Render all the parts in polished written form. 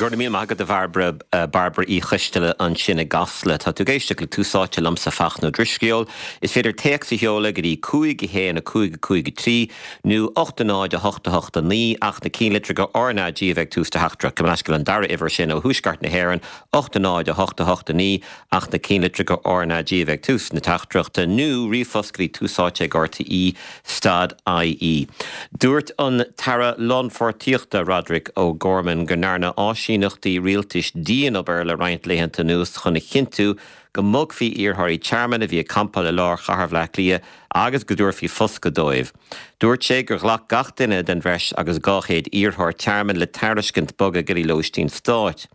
Go raibh míle maith agat a Bhairbre, Bairbre Uí Choisteala ansin i gCasla. Tá tú ag éisteacht le Tús Áite liomsa Fachtna Ó Drisceoil. Is féidir téacs a sheoladh go dtí 5 1 5 5 3 nó 8 0 8 8 9 ach na cinnlitreacha RnaG a bheith ag tús do theachtaireacht. Gabh mo leithscéal an dara uimhir sin ó thuaisceart na hÉireann, 8 0 8 8 9 ach na cinnlitreacha RnaG a bheith ag tús na teachtaireachta nó ríomhphost go dtí Tús Áite ag RTÉ stad IE. Dúirt an tAire Lánpháirtíochta Roderic O'Gorman go ndearna áisíneachtaí rialtais dianobair le roinnt laethanta anuas chun a chinntiú go mbogfaí iarrthóirí tearmainn a bhí ag campáil i lár chathair Bhaile Átha Cliath agus go dtabharfaí foscadh dóibh. Dúirt sé gur ghlac gach duine den bhreis agus 200 iarrthóir tearmainn le tairiscint bogadh go dtí lóistín stáit.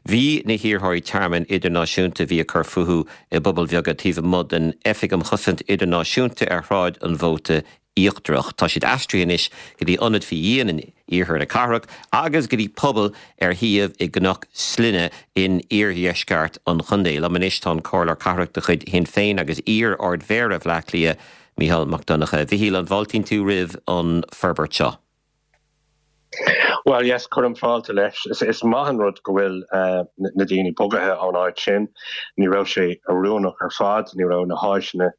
Bhí na hiarrthóirí tearmainn idirnáisiúnta a bhí ag cur fúthu i bpubaill bheaga taobh amuigh den Oifig um Chosaint Idirnáisiúnta ar Shráid an Mhóta Íochtarach. Tá siad aistrithe anois go dtí ionad faoi dhíon in iarthar na cathrach agus go dtí puball ar shuíomh i gCnoc Slinne in iardheisceart an chontae. Liom anois tá an Comhairleoir Cathrach de chuid Shinn Féin agus iar-Ard-Mhéara Bhaile Átha Cliath, Mícheál Mac Donncha. A Mhichíl, an bhfáiltíonn tú roimh an forbairt seo? Bhuel, yes, cuirim fáilte leis. Is maith an rud go bhfuil na daoine bogaithe ón áit sin. Ní raibh sé oiriúnach ar fad, ní raibh na háiseanna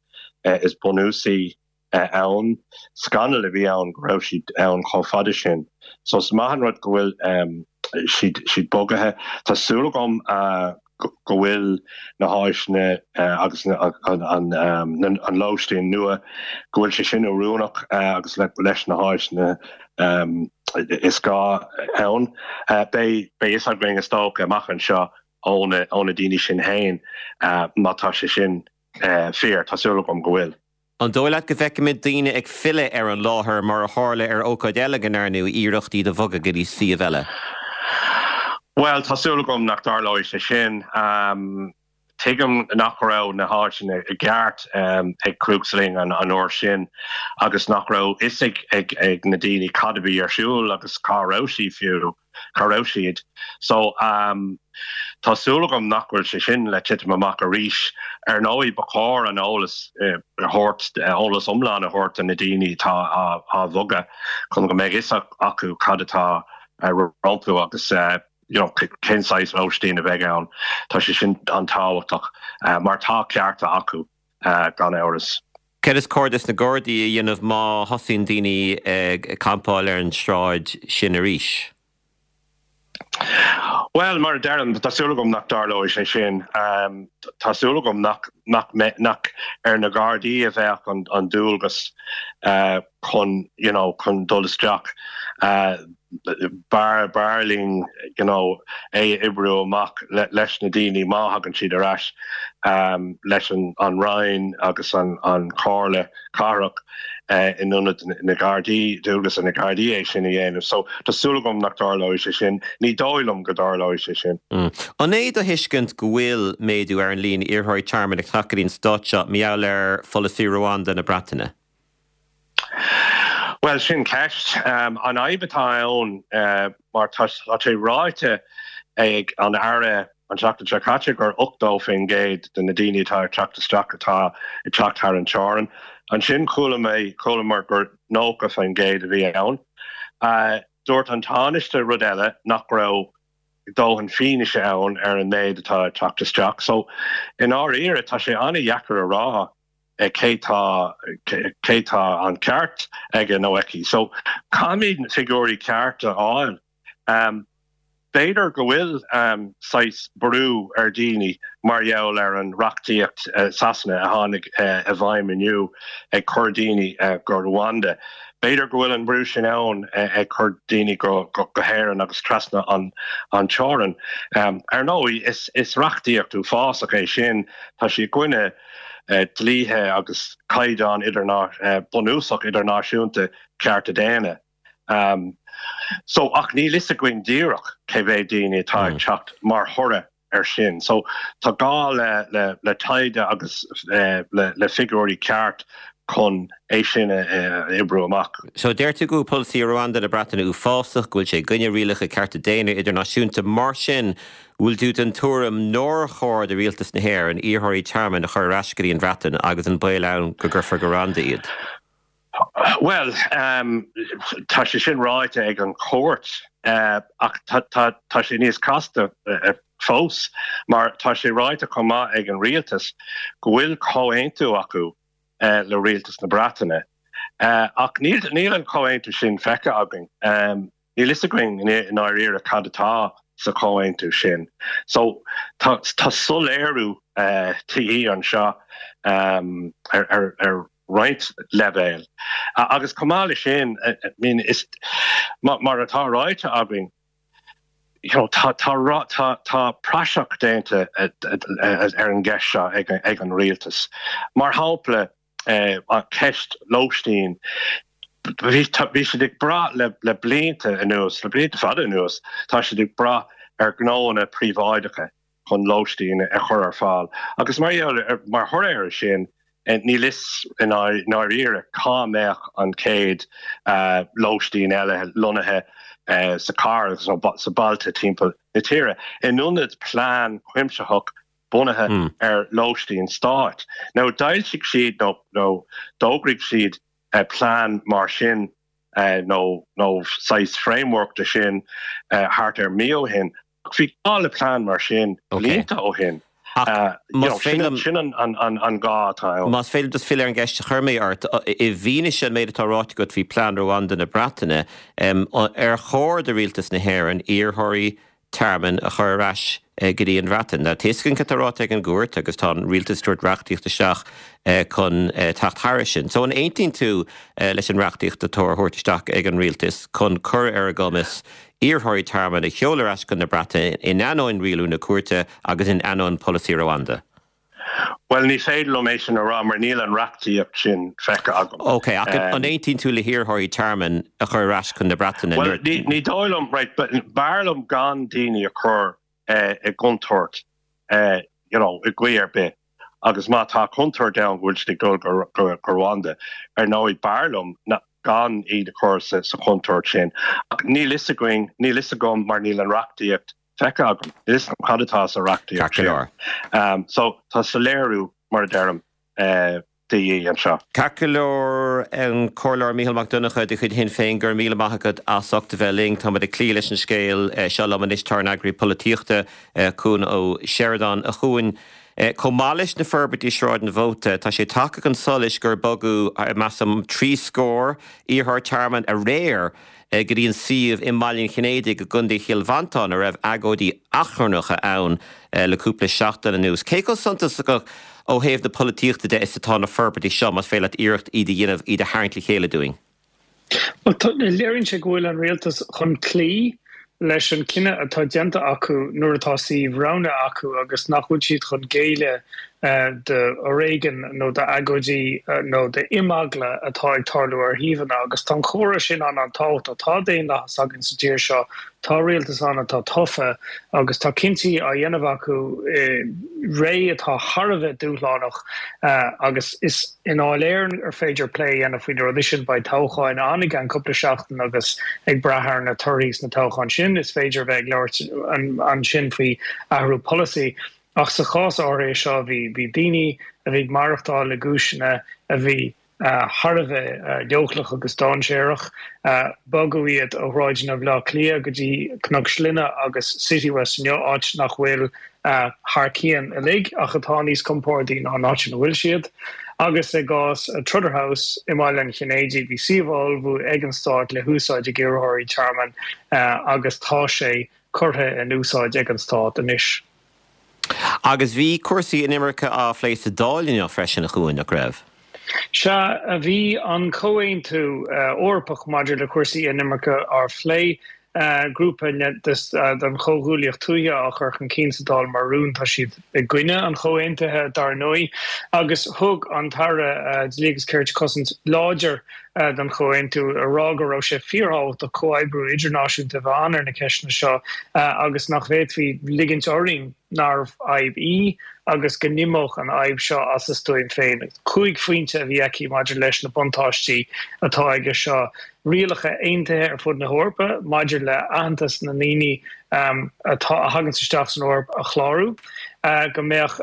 is bunúsaí ann. Scannal a bhí ann go raibh siad ann chomh fada sin. So is maith an rud go bhfuil siad siad bogaithe. Tá súil agam go bhfuil na háiseanna agus an lóistín nua, go bhfuil sé sin oiriúnach agus leis na háiseanna is gá ann. Beidh fhios againn is dócha amach anseo ó na daoine sin féin má tá sé sin fíor. Tá súil agam go bhfuil. An dóigh leat go bhfeicfimid daoine ag filleadh ar an láthair mar a tharla ar ócáid eile go ndearnadh iarracht iad a bhogadh go dtí suíomh eile? Bhuel, tá súil agam nach dtarlóidh sé sin. Tuigim nach raibh na háiseanna i gceart ag Crooksling an uair sin agus nach raibh fhios ag na daoine cad a bhí ar siúl agus cá raibh sí fiú. cá raibh siad. So, tá súil agam nach bhfuil sé sin le titim amach arís. Ar ndóigh, ba chóir an eolas a thabhairt, eolas iomlán a thabhairt do na daoine atá á bhogadh chun go mbeidh fhios acu cad atá rompu agus you know cén saghas lóistín a bheidh ann. Tá sé sin an-tábhachtach mar tá cearta acu gan amhras. Céard is cóir dos na Gardaí a dhéanamh má thosaíonn daoine ag campáil ar an sráid sin arís? Bhuel, mar a deirim, tá súil agam nach dtarlóidh sé sin. Tá súil agam nach nach ar na Gardaí a bheadh an dualgas chun you know chun dul isteach. B'fhearr b'fhearr linn you know é a oibriú amach leis na daoine má thagann siad ar ais leis an Roinn agus an Chomhairle Cathrach in ionad na Gardaí, dualgas ar na Gardaí é sin a dhéanamh. So tá súil agam nach dtarlóidh sé sin. Ní dóigh liom go dtarlóidh sé sin. An é do thuiscint go bhfuil méadú ar an líon iarrthóirí tearmainn ag teacht go dtí an stát seo mar gheall ar pholasaí Rwanda na Breataine? Bhuel, sin ceist. An fhadhb atá ann, mar tá sé ráite ag an Aire an tseachtain seo caite gur 80% de na daoine atá ag teacht isteach atá ag teacht thar an teorainn. Ansin chuala mé, chualamar gur 90% a bhí ann. Dúirt an Tánaiste rud eile, nach raibh dóthain fianaise ann ar an méid atá ag teacht isteach. So, i ndáiríre, tá sé an-dheacair a rá. cé tá cé tá an ceart aige nó aici. So caithfimid na figiúirí ceart a fháil. B'fhéidir go bhfuil saghas brú ar dhaoine mar gheall ar an reachtaíocht Sasana a tháinig i bhfeidhm inniu ag cur daoine go Rwanda. B'fhéidir go bhfuil an brú sin ann ag cur daoine go hÉirinn agus trasna an teorainn. Ar ndóigh is reachtaíocht uafásach é sin, tá sí i gcoinne dlíthe agus caighdeán bunúsach idirnáisiúnta cearta daonna. So, ach níl fhios againn díreach cé mhéad daoine atá ag teacht mar thoradh ar sin. So, tá gá le le taighde agus le le figiúirí ceart chun é sin a oibriú amach. So, deir tú go bhfuil polasaí Rwanda na Breataine uafásach, go bhfuil sé i gcoinne rialacha cearta daonna idirnáisiúnta. Mar sin, bhfuil tú den tuairim nár chóir do rialtas na hÉireann iarrthóirí tearmainn a chur ar ais go dtí an Bhreatain agus an baol ann go gcuirfear go Rwanda iad? Bhuel, tá sé sin ráite ag an chúirt ach tá sé níos casta fós mar tá sé ráite chomh maith ag an rialtas go bhfuil comhaontú acu le rialtas na Breataine. Ach níl an comhaontú sin feicthe againn. Níl fhios againn i ndáiríre cad atá sa chomhaontú sin. So tá soiléiriú de dhíth anseo ar roinnt leibhéal. Agus chomh maith leis sin, I mean, is mar atá ráite againn, you know, tá tá tá praiseach déanta ar an gceist seo ag an rialtas. Mar shampla, ceist lóistín, bhí siad ag brath le blianta anuas, le blianta fada anuas, tá siad ag brath ar ghnóanna príobháideacha chun lóistín a chur ar fáil. Agus mar mar thoradh air sin, níl fhios i ndáiríre cá mbeadh an chéad lóistín eile lonnaithe sa chathair agus sna bailte timpeall na tíre. In ionad plean cuimsitheach bunaithe ar lóistín stáit. Now d'fhoilsigh siad nó nó d'fhógraigh siad plean mar sin nó nó saghas framework de sin thart ar mí ó shin. Ach bhí gá le plean mar sin blianta ó shin. Ach más féidir liom. Sin an gá atá ann. Más féidir liom just filleadh ar an gceist a chuir mé ort, i bhfianaise an méid atá ráite agat faoi plean Rwanda na Breataine, ar chóir do Rialtas na hÉireann iarrthóirí tearmainn a chur ar ais go dtí an Bhreatain. Tá a fhios againn cad tá ráite ag an gcúirt agus tá an rialtas ag tabhairt reachtaíocht isteach chun teacht thairis sin. So an aontaíonn tú leis an reachtaíocht atá á thabhairt isteach ag an rialtas chun cur ar a gcumas iarrthóirí tearmainn a sheoladh ar ais chun na Breataine in ainneoin rialú na cúirte agus in ainneoin polasaí Rwanda? Bhuel, ní féidir liom é sin a rá mar níl an reachtaíocht sin feicthe agam. Ok, ach an aontaíonn tú le hiarrthóirí tearmainn a chur ar ais chun na Breataine nuair. Bhuel, ní dóigh liom, right, b'fhearr liom gan daoine a chur i gcontúirt, you know, i gcaoi ar bith. Agus má tá contúirt ann go bhfuil siad ag dul go Rwanda, ar ndóigh, b'fhearr liom gan iad a chur sa chontúirt sin. Ach níl fhios againn, níl fhios agam mar níl an reachtaíocht feicthe agam. Níl fhios agam cad atá sa reachtaíocht sin. So tá soiléiriú, mar a deirim, de dhíth anseo. Ceart go leor, an Comhairleoir Mícheál Mac Donncha de chuid Shinn Féin, go raibh míle maith agat as ucht a bheith linn. Táimid ag cloí leis an scéal seo liom anois. Tá ár n-eagraí polaitíochta, Cuan Ó Seireadáin, a Chuain. Chomh maith leis na forbairtí i Sráid an Mhóta, tá sé tagtha chun solais gur bogadh, measaim, 60 iarrthóir tearmainn aréir go dtí an suíomh i mBaile an Chinnéidigh i gContae Chill Mhantáin a raibh agóidí achrannacha ann le cúpla seachtain anuas. Cé chomh suntasach ó thaobh na polaitíochta de is atá na forbairtí seo, más féidir leat iarracht iad a dhéanamh, iad a tharraingt le chéile dúinn? Bhuel, léiríonn sé go bhfuil an rialtas chun cloí leis an cinneadh atá déanta acu nuair atá suíomh roghnaithe acu agus nach bhfuil siad chun géilleadh d'fhoréigean nó d'agóidí nó d'imeagla atá ag tarlú ar shuíomhanna agus tá an comhartha sin an-an-tábhachtach. Tá daonlathas againn sa tír seo, tá rialtas ann atá tofa agus tá cinntí á dhéanamh acu i ré atá thar a bheith dúshlánach agus is i nDáil Éireann ar féidir plé a dhéanamh faoi na rudaí sin. Beidh toghcháin ann i gceann cúpla seachtain agus ag brath ar na torthaí sna toghcháin sin is féidir a bheith ag labhairt ansin faoi athrú polasaí. Ach sa chás áirithe seo, bhí bhí daoine a bhí ag maireachtáil i gcúiseanna a bhí thar a bheith leochaileach agus dainséarach. Bogadh iad ó shráideanna Bhaile Átha Cliath go dtí Cnoc Slinne agus Citywest inniu, áit nach bhfuil thar cionn uilig ach atá níos compordaí ná an áit ina bhfuil siad. Agus i gcás Trotter House i mBaile an Chinnéidigh, bhí suíomh á ullmhú ag an Stát le húsáid ag iarrthóirí tearmainn agus tá sé curtha in úsáid ag an Stát anois. Agus bhí cúrsaí inimirce á phlé sa Dáil inniu freisin, a Chuain, nach raibh? Sea, bhí an Comhaontú Eorpach maidir le cúrsaí inimirce á phlé. Grúpa den Chomhghuaillíocht Tuaithe á chur chun cinn sa Dáil mar rún. Tá siad i gcoinne an chomhaontaithe, dar ndóigh. Agus thug an tAire Dlí agus Cirt cosaint láidir don chomhaontú, ag rá go raibh sé fíorthábhachtach comhoibriú idirnáisiúnta a bheith ann ar na ceisteanna seo agus nach bhféadfaí ligint orainn nárbh fhadhb í agus go n-imeodh an fhadhb seo as a stuaim féin. 5 phointe a bhí aici maidir leis na buntáistí atá aige seo, rialacha aontaithe ar fud na hEorpa maidir le aitheantas na ndaoine atá a thaganns isteach san Eoraip a chlárú, go mbeadh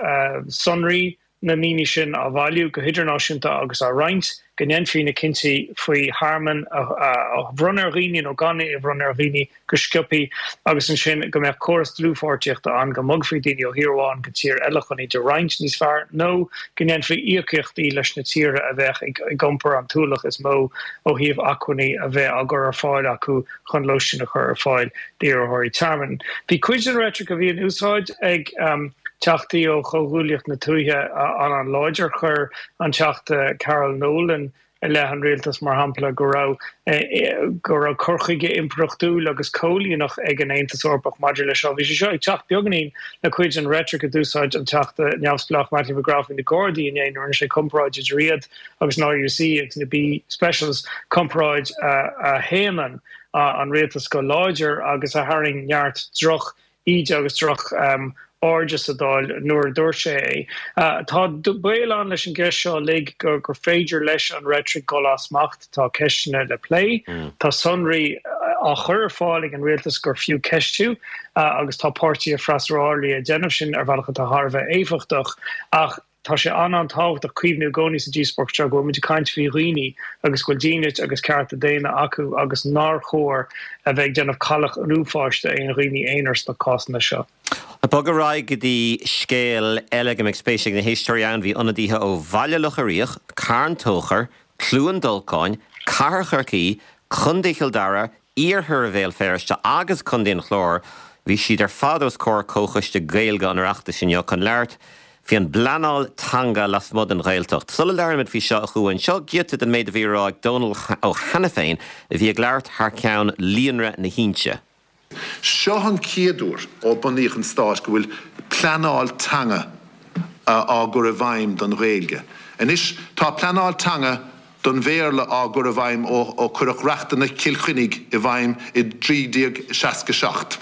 sonraí na ndaoine sin á bhailiú go hidirnáisiúnta agus á roinnt. go ndéanfaí na cinntí faoi thearmann a bhronnadh ar dhaoine nó gan é a bhronnadh ar dhaoine go sciobthaí agus ansin go mbeadh córas dlúthpháirtíochta ann go mbogfaí daoine ó thír amháin go tír eile chun iad a roinnt níos fearr nó go ndéanfaí íocaíochtaí leis na tíortha a bheadh ag iompar an t-ualach is mó ó thaobh acmhainní a bheith á gcur ar fáil acu chun lóistín a chur ar fáil d'iarrthóirí tearmainn. Bhí cuid den reitric a bhí in úsáid ag Teachtaí ó Chomhghuaillíocht na Tuaithe an-an-láidir. Chuir an Teachta Carol Nolan i leith an rialtais, mar shampla, go raibh go raibh cur chuige impireachtúil agus coilíneach ag an Aontas Eorpach maidir leis seo. Bhí sé seo ag teacht beagáinín le cuid den reitric a d'úsáid an Teachta neamhspleách Mattie McGrath faoi na Gardaí inné nuair a rinne sé comparáid idir iad agus an RUC agus na B Specials, comparáid a shéanann an rialtas go láidir agus a tharraing neart droch íde agus droch airde sa Dáil nuair a dúirt sé é. Tá baol ann leis an gceist seo uilig gur féidir leis an reitric dul as smacht. Tá ceisteanna le plé, tá sonraí á chur ar fáil ag an rialtas gur fiú ceistiú agus tá páirtithe freasúra ag déanamh sin ar bhealach atá thar a bheith éifeachtach ach Tá sé an-an-tábhachtach cuimhniú i gcónaí sa díospóireacht seo go bhfuil muid ag caint faoi dhaoine agus go bhfuil dínit agus cearta daonna acu agus nár chóir a bheith ag déanamh cailleach an uafáis d'aon dhaoine aonair sna cásanna seo. Ag bogadh ar aghaidh go dtí scéal eile go mbeidh spéis ag na héisteoirí ann, bhí ionadaithe ó Bhaile Locha Riach, Carn Tóchair, Cluain Dolcáin, Cathair Chorcaí, Contae Chill Dara, Iarthar Bhéal Feirste agus Contae an Chláir, bhí siad ar fad os comhair Comhchoiste Gaeilge an Oireachtais inniu chun labhairt faoi an bpleanáil teanga lasmuigh den Ghaeltacht. Sula labhraímid faoi seo, a Chuain, seo giota den méid a bhí á rá ag Dónal Ó hAiniféin a bhí ag labhairt thar ceann Líonra na hInse. Seo an chéad uair ó bunaíodh an Stát go bhfuil pleanáil teanga á gcur i bhfeidhm don Ghaeilge. Anois tá pleanáil teanga don Bhéarla á gcur i bhfeidhm ó cuireadh Reachtanna Chill Chainnigh i bhfeidhm i 1367,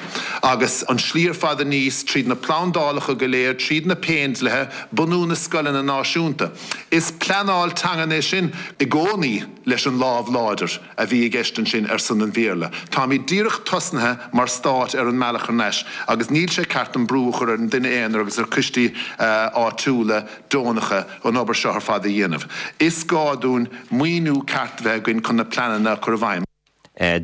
agus an slí ar fad aníos tríd na plandálacha go léir, tríd na Péindlithe, bunú na scoileanna náisiúnta. Is pleanáil teangan é sin i gcónaí leis an lámh láidir a bhí i gceist ansin ar son an Bhéarla. Táimid díreach tosnaithe mar stát ar an mbealach thar n-ais agus níl sé ceart an brú a chur ar an duine aonair agus ar choistí áitiúla deonacha an obair seo ar fad a dhéanamh. Is gá dúinn maoiniú ceart a bheith againn chun na pleananna a chur i bhfeidhm.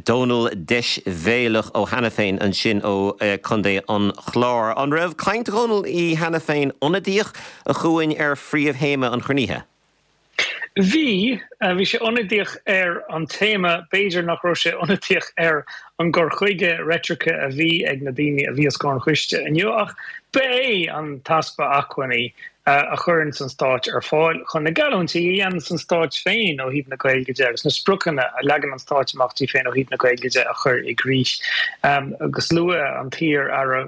Dónal Deisbhéalach Ó hAiniféin ansin ó Chontae an Chláir. An raibh caint Dhónal Uí hAiniféin ionadaíoch, a Chuain, ar phríomhthéama an chruinnithe? Bhí. Bhí sé ionadaíoch ar an téama. B'fhéidir nach raibh sé ionadaíoch ar an gcur chuige reitrice a bhí ag na daoine a bhí os comhair an choiste inniu ach ba é an t-easpa acmhainní a chuireanns an Stát ar fáil chun na geallúintí a dhéananns an Stát féin ó thaobh na Gaeilge de agus na spriocanna a leagann an Stát amach di féin ó thaobh na Gaeilge de a chur i gcrích. Agus luaigh an t-iar-aire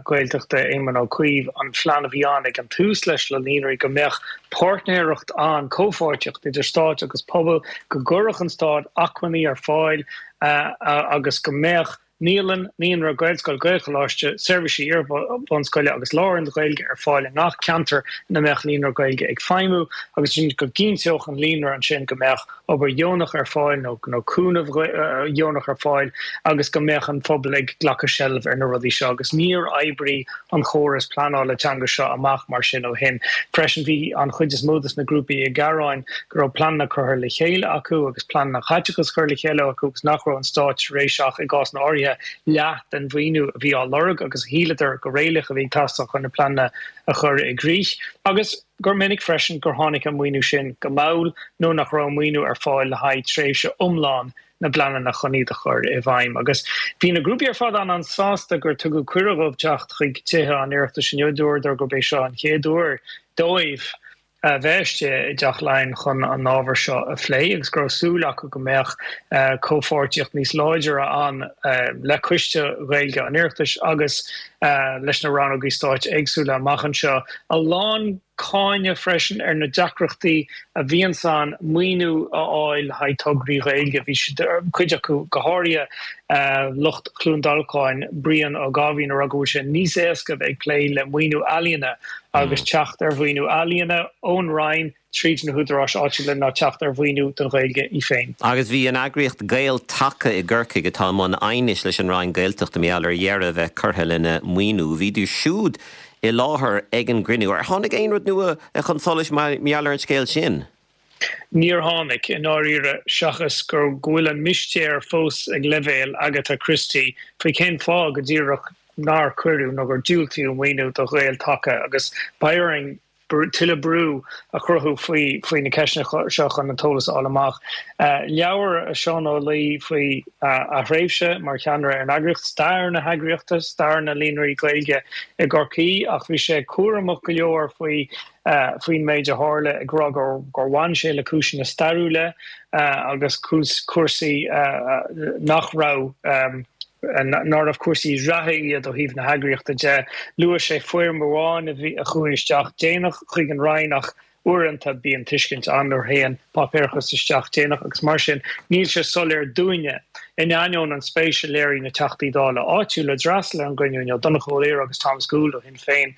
Gaeltachta Éamon Ó Cuív an phlean a bhí ann ag an tús leis na líonraí go mbeadh páirtnéireacht ann, comhpháirtíocht idir Stát agus pobal, go gcuirfeadh an Stát acmhainní ar fáil agus go mbeadh naíolann, naíonra, Gaelscoil, Gaelcholáiste, seirbhísí iar-bhunscoile agus lárionad Gaeilge ar fáil i ngach ceantar ina mbeadh líonra Gaeilge ag feidhmiú agus ansin go gcinnteodh an líonra ansin go mbeadh obair dheonach ar fáil nó nó cúnamh dheonach ar fáil agus go mbeadh an phobal ag glacadh seilbh ar na rudaí seo agus níor oibrigh an chóras pleanála teanga seo amach mar sin ó shin. Freisin bhí an chuid is mó de na grúpaí ag gearán go raibh pleananna curtha le chéile acu agus pleananna caiteachais curtha le chéile acu agus nach raibh an Stát tar éis ach, i gcásanna áirithe, leath den mhaoiniú a bhí á lorg agus a shíleadar go réalaíoch a bhí ag teastáil chun na pleananna a chur i gcrích. Agus gur minic freisin gur tháinig an maoiniú sin go mall nó nach raibh maoiniú ar fáil le haghaidh tréimhse iomlán na bpleananna chun iad a chur i bhfeidhm. Agus bhí na grúpaí ar fad an-an-sásta gur tugadh cuireadh dhóibh teacht chuig Tithe an Oireachtais inniu. Dúradar gurb é seo an chéad uair dóibh a bheith istigh i dTeach Laighean chun an ábhar seo a phlé agus go raibh súil acu go mbeadh comhpháirtíocht níos láidre ann le Coiste Gaeilge an Oireachtais agus leis na rannógaí stáit éagsúla amach anseo. A lán cáineadh freisin ar na deacrachtaí a bhíonns ann maoiniú a fháil le haghaidh tograí Gaeilge. Bhí siad, cuid acu go háirithe lucht Chluain Dolcáin, Brian Ó Gáibhín, ag rá go bhfuil sé níos éasca a bheith ag plé le maoiniú ealaíona agus teacht ar mhaoiniú ealaíona ón Roinn tríd na húdaráis áitiúla ná teacht ar mhaoiniú don Ghaeilge í féin. Agus bhí an eagraíocht Gael Taca i gCorcaigh, atá i mbun aighnis leis an Roinn Gaeltachta mar gheall ar dheireadh a bheith curtha lena maoiniú, bhíodar siúd i láthair ag an gcruinniú. Ar tháinig aon rud nua chun solais mar gheall ar an scéal sin? Níor tháinig, i ndáiríre, seachas gur go bhfuil an mistéir fós ag leibhéal Agatha Christie faoi cén fáth go díreach nár cuireadh nó gur diúltaíodh maoiniú do Ghael Taca agus beidh orainn tuilleadh brú a chruthú faoi faoi na ceisteanna seo chun an t-eolas a fháil amach. Labhair Seán Ó Laoi faoi a thréimhse mar cheannaire ar an eagraíocht, stair na heagraíochta, stair na Líonraí Gaeilge i gCorcaigh ach bhí sé cúramach go leor faoi faoin méid a tharla, ag rá gur bhain sé le cúiseanna stairiúla agus cúrsaí nach raibh nárbh cúrsaí reatha iad ó thaobh na heagraíochta de. Luaigh sé foirm amháin a bhí a chuaigh isteach déanach chuig an Roinn ach uaireanta bíonn tuiscint ann nuair a théann páipéarachas isteach déanach agus mar sin níl sé soiléir dúinne. In ainneoin an spéis a léirigh na Teachtaí Dála áitiúla a d'fhreastail ar an gcruinniú inniu, Donnchadh Ó Laoghaire agus Thomas Gould ó Shinn Féin,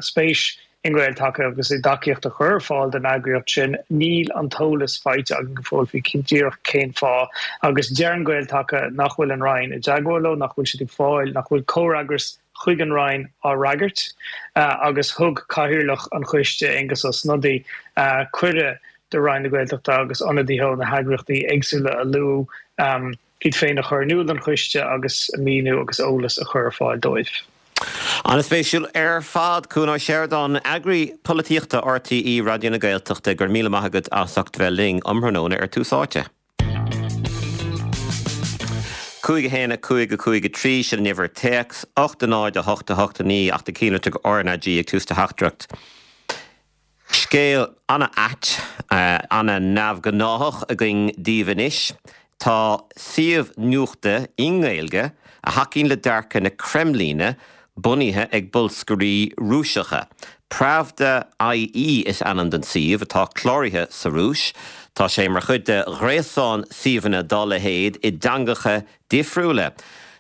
spéis i nGael Taca agus i dtacaíocht a chur ar fáil don eagraíocht sin, níl an t-eolas faighte againn go fóill faoi díreach cén fáth. Agus deireann Gael Taca nach bhfuil an Roinn i dteagmháil leo, nach bhfuil siad ag fáil, nach bhfuil comhfhreagras chuig an Roinn á fhreagairt. Agus thug Cathaoirleach an choiste, Aengus Ó Snodaigh, cuireadh do Roinn na Gaeltachta agus ionadaithe ó na heagraíochtaí éagsúla a luadh iad féin a chur in iúl don choiste agus míniú agus eolas a chur ar fáil dóibh. An-spéisiúil ar fad. Cuan Ó Seireadáin, Eagraí Polaitíochta RTÉ Raidió na Gaeltachta, go raibh míle maith agat as ucht bheith linn um thráthnóna ar Tús Áite. 5 1 5 5 3, sin an uimhir téacs, 8 0 8 8 9 ach tar cuimhne go RnaG ag tús do theachtaireacht. Scéal an-ait, an-neamhghnáthach againn daoibh anois. Tá suíomh nuachta i nGaeilge a thacaíonn le dearcadh na Creimlíne bunaithe ag bolscairí Rúiseacha. Pravda IE is ainm don suíomh, atá cláraithe sa Rúis. Tá sé mar chuid de ghréasán suíomhanna dá leithéid i dteangacha difriúla.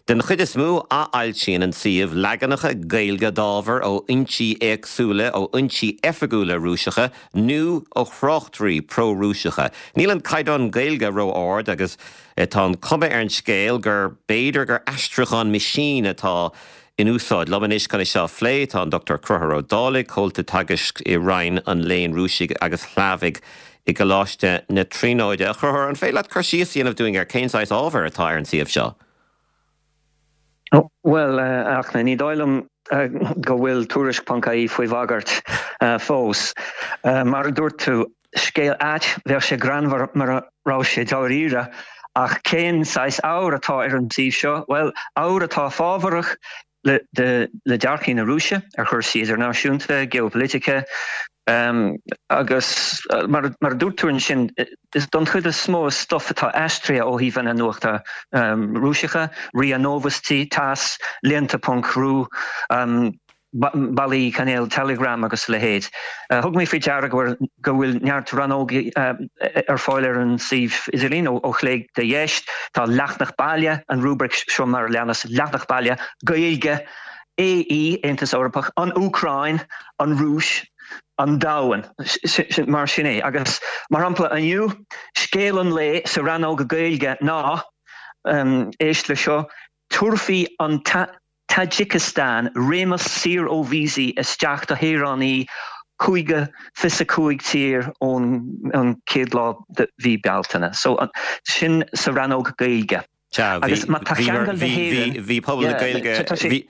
Den chuid is mó, athfhoilsíonn an suíomh leaganacha Gaeilge d'ábhar ó fhoinsí éagsúla, ó fhoinsí oifigiúla Rúiseacha nó ó thráchtairí pró-Rúiseacha. Níl an caighdeán Gaeilge ró-ard agus tá an cuma ar an scéal gur b'fhéidir gur aistriúchán meaisín atá in úsáid. Liom anois chun é seo a phlé tá an Dr Conchúr Ó Dálaigh, Comhalta Teagaisc i Roinn an Léinn Rúisigh agus Shlavaigh i gColáiste na Tríonóide. A Chonchúir, an féidir leat cur síos a dhéanamh dúinn ar cén saghas ábhair atá ar an suíomh seo? Bhuel, a Fhachtna, ní dóigh liom go bhfuil Tuairisc ponc ie faoi bhagairt fós. Mar a dúirt tú, scéal ait, bheadh sé greannmhar mura raibh sé dáiríre. Ach cén saghas ábhair atá ar an suíomh seo? Bhuel, ábhar atá fábharach le dearcthaí na Rúise ar chúrsaí idirnáisiúnta, geopolitice, agus mar a dúirt tú ansin, is don chuid is mó is stuif atá aistrithe ó shuíomhanna nuachta Rúiseacha, RIA Novosti, TASS, Lenta ponc ru, bealaí cainéal Telegram agus a leithéid. Thug mé faoi deara go bhfuil neart rannógaí ar fáil ar an suíomh idirlín, ó chlé go dheis. Tá leathanach baile, an rúibric seo mar a leanas, Leathanach baile, Gaeilge, AE, Aontas Eorpach, an Úcráin, an Rúis, an domhan. Mar sin é. Agus mar shampla inniu, scéal an lae sa rannóg Gaeilge ná, éist le seo, Tabharfaidh an Tajikistan réimeas saor ó víosaí isteach do shaoránaigh 55 tír ón chéad lá de mhí Bealtaine. So, sin sa rannóg Gaeilge. Sea, Agus má tá ceangal le hÉirinn, bhí pobal na Gaeilge,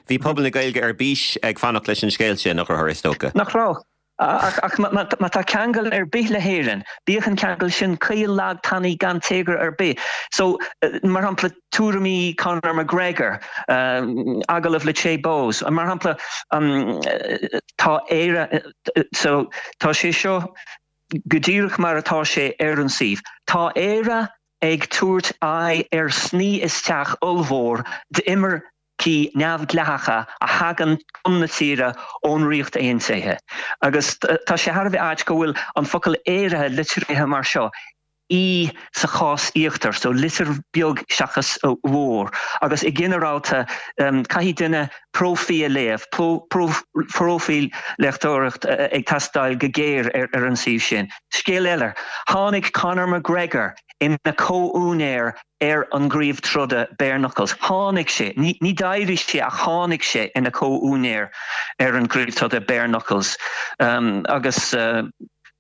bhí pobal na Gaeilge ar bís ag fanacht leis an scéal sin, a Chonchúir, is dócha. Nach raibh? Ach má tá ceangal ar bith le hÉirinn, bíodh an ceangal sin caol, lag, tanaí, gan téagar ar bith. So, mar shampla, tuairimí Conor McGregor, agallamh le Che Bose, mar shampla, tá Éire, so, tá sé seo go díreach mar atá sé ar an suíomh. Tá Éire ag tabhairt aghaidh ar sní isteach ollmhór d'imircigh neamhdhleathacha a thagann chun na tíre ón Ríocht Aontaithe. Agus tá sé thar a bheith ait go bhfuil an focal Éire litrithe mar seo, E sa chás íochtar, so litir beag seachas mhór. Agus i ginearálta caithfidh duine próifíl a léamh, próifíl léachtóireacht ag teastáil go géar ar an suíomh sin. Scéal eile, tháinig Conor McGregor ina chomhúinéir ar an gcraobh troda Bare Knuckles. Tháinig sé, ní d'éirigh sé ach tháinig sé ina chomhúinéir ar an gcraobh troda Bare Knuckles agus.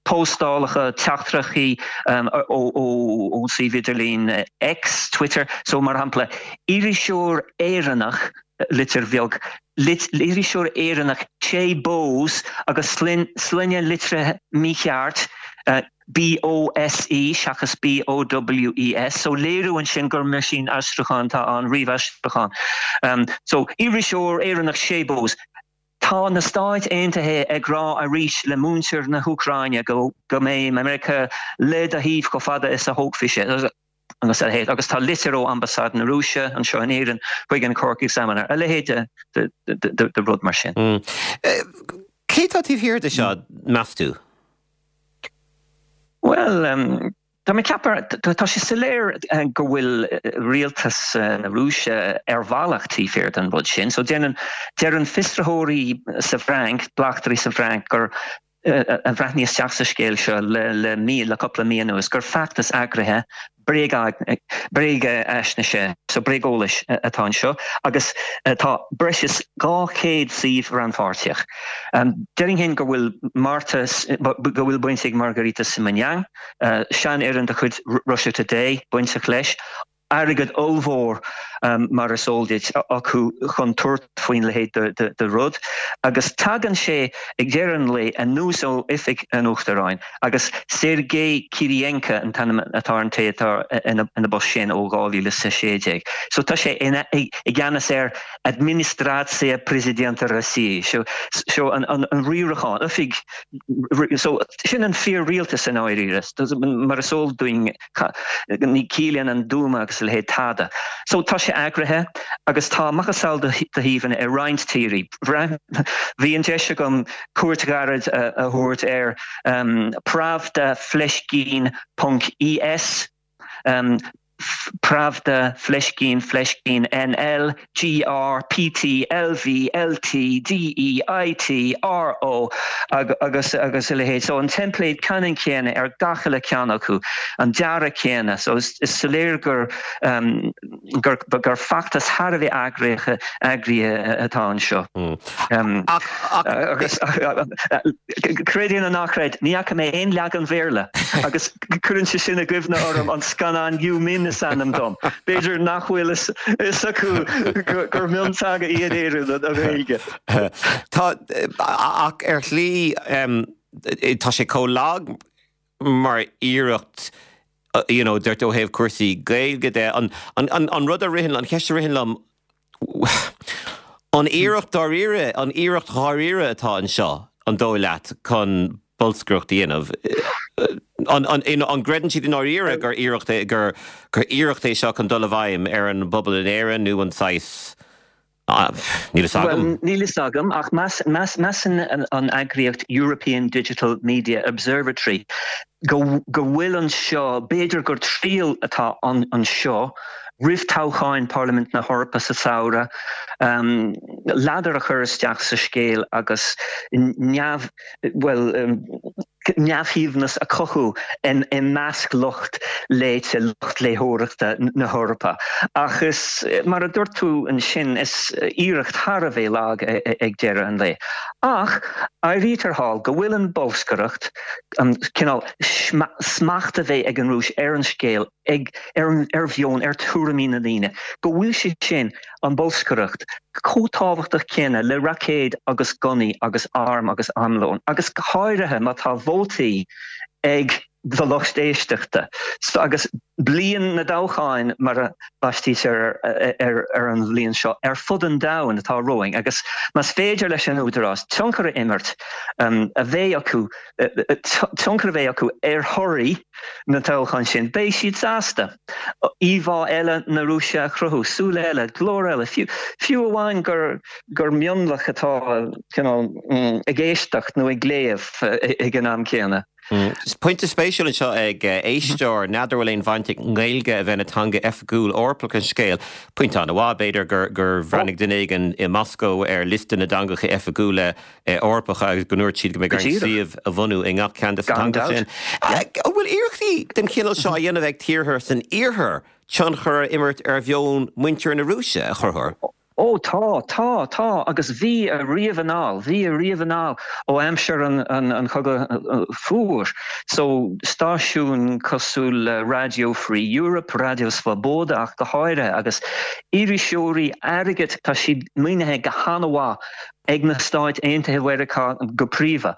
Póstálacha, teachtaireachtaí ón suíomh idirlín X, Twitter, so mar shampla, iriseoir Éireannach, litir bheag, iriseoir Éireannach Che Bose agus sloinne litrithe mícheart, BOSE seachas BOWES, so léiriú ansin gur meaisínaistriúchán atá ann, ríomhaistriúchán. So, iriseoir Éireannach Che Bose. Tá na Stáit Aontaithe ag rá arís le muintir na hÚcráine go mbeidh Meiriceá le do thaobh chomh fada is a thógfaidh sé, agus a leithéid. Agus tá litir ó Ambasáid na Rúise anseo in Éirinn chuig an Cork Examiner, a leithéid de rud mar sin. Cé tá taobh thiar de seo, meas tú? Bhuel, tá mé ag ceapadh, tá sé soiléir go bhfuil rialtas na Rúise ar bhealach taobh thiar den rud sin. So déanann, deireann fiosraitheoirí sa bhFrainc, bleachtairí sa bhFrainc gur, a bhreathnaigh isteach sa scéal seo le, le mí, le cúpla mí anuas, gur feachtas eagraithe bréagaisnéise, so bréageolais atá anseo agus tá breis is 200 suíomh rannpháirteach. Déarfainn féin go bhfuil Marta, go bhfuil baint ag Margarita Simonyan, seanfhoireann de chuid Russia Today, bainteach leis. Airgead ollmhór, mar is eol duit, acu chun tabhairt faoin leithéid de rud agus tagann sé ag deireadh an lae anuas ó oifig an Uachtaráin agus Sergei Kirienka an t-ainm atá ar an té atá ina bpost sin ó 2016. So tá sé i gceannas ar Administratsiya Prezidenta Rossii, so an riarachán, oifig, so sin an fíor-rialtas i ndáiríre, mar is eol dúinn. Ní ciallaíonn an Dúma agus a leithéid tada. So tá sé eagraithe agus tá macasamhail de shuíomhanna i roinnt tírí. Bhí an deis agam cuairt ghairid a thabhairt ar Pravda fleiscín ponc ES, Pravda fleiscín fleiscín NL, GR, PT, LV, LT, DE, IT, RO agus agus a leithéid. So an teimpléad ceannann céanna ar gach uile ceann acu, an dearadh céanna. So is soiléir gur gur gur feachtas thar a bheith eagraithe eagraithe atá anseo. Ach Agus creid é nó ná creid, ní fhaca mé aon leagan Bhéarla agus Cuireann sé sin i gcuimhne orm an scannán Yu Min is ainm dom. B'fhéidir nach bhfuil fhios acu gur mionteanga í in Éirinn, an Ghaeilge. Tá, ach ar shlí tá sé chomh lag mar iarracht you know, dúirt ó thaobh cúrsaí Gaeilge de, an, an, an rud a ritheann, an cheist a ritheann liom, an iarracht dáiríre, an iarracht dháiríre atá anseo, an dóigh leat, chun bolscaireacht a dhéanamh? An, an, an gcreideann siad i ndáiríre gur iarracht é, gur, gur iarracht é seo chun dul i bhfeidhm ar an bpobal in Éirinn nó an saghas, níl fhios agam. Bhuel, níl fhios agam, ach meas, meas, measann an eagraíocht European Digital Media Observatory go, go bhfuil anseo, b'fhéidir gur triail atá anseo roimh toghcháin Parlaimint na hEorpa sa samhradh, ladar a chur isteach sa scéal agus neamh, bhuel, neamhshuaimhneas a chothú i measc lucht léite, lucht léitheoireachta na hEorpa. Ach is, mar a dúirt tú ansin, is iarracht thar a bheith lag ag deireadh an lae. Ach áirítear thall go bhfuil an bholscaireacht, an cineál smacht a bheith ag an Rúis ar an scéal, ag, ar an, ar mheon, ar tuairimí na ndaoine, go bhfuil sé sin, an bholscaireacht, chomh tábhachtach céanna le raicéid agus gunnaí agus airm agus armlón, agus go háirithe má tá vótaí ag do lucht éisteachta. So, agus bliain na dtoghcháin, mar a baistítear ar ar an bhliain seo, ar fud an domhain atá romhainn, agus más féidir leis an údarás tionchar a imirt, a bheith acu, tionchar a bheith acu ar thorthaí na dtoghchán sin, beidh siad sásta íomhá eile na Rúise a chruthú, súil eile, glór eile, fiú, fiú amháin gur, gur mionlach atá cineál ag éisteacht nó ag léamh ag an am céanna. Pointe spéisiúil anseo ag éisteoir, n'fheadar bhfuil aon bhaint ag an nGaeilge a bheith ina teanga oifigiúil Eorpach leis an scéal. Pointe an-mhaith, b'fhéidir gur, gur bhreathnaigh duine éigin i Moscó ar liosta na dteangacha oifigiúla Eorpacha agus go ndúirt siad go mbeidh orainn suíomh a bhunú i ngach ceann de na teangacha sin. An bhfuil iarrachtaí den chineál seo á dhéanamh ag tíortha san iarthar tionchar a imirt ar mheon muintir na Rúise, a Chonchúir? Ó tá, tá, tá, agus bhí ariamh anall, bhí ariamh anall ó aimsir an Chogadh Fuar. So, stáisiúin cosúil le Radio Free Europe, Radio Svoboda ach go háirithe, agus iriseoirí airgid, tá siad maoinithe go han-mhaith ag na Stáit Aontaithe Mheiriceá go príomha.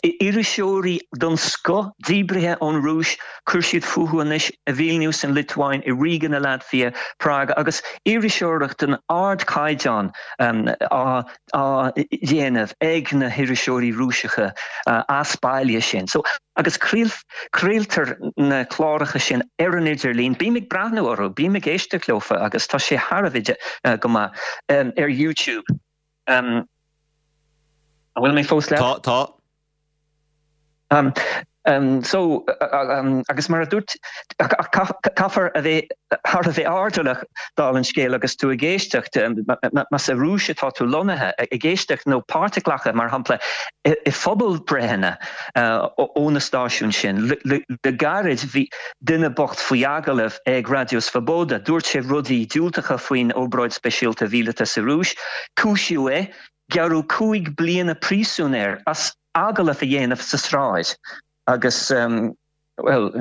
Iriseoirí den scoth díbrithe ón Rúis, chuir siad fúthu anois i Vilnius, an Liotuáin, i Riga na Laitvia, Prág, agus iriseoireacht den ardchaighdeán á dhéanamh ag na hiriseoirí Rúiseacha as baile sin. So, agus craoltar na cláracha sin ar an idirlíon, bím ag breathnú orthu, bím ag éisteacht leofa agus tá sé thar a bheith go maith ar YouTube. An bhfuil mé fós leat? Tá, tá. So, agus mar a dúirt, caithfear a bheith thar a bheith airdeallach dála an scéil agus tú ag éisteacht, más sa Rúis atá tú lonnaithe, ag éisteacht nó páirt a ghlacadh, mar shampla, i phobalbhreitheanna ó na stáisiúin sin. Le gairid bhí duine bocht faoi agallamh ag Raidió Svoboda, dúirt sé rudaí diúltacha faoin obráid speisialta mhíleata sa Rúis, cúisíodh é, gearradh 5 bliana príosúin air as agallamh a dhéanamh sa sráid agus, bhuel,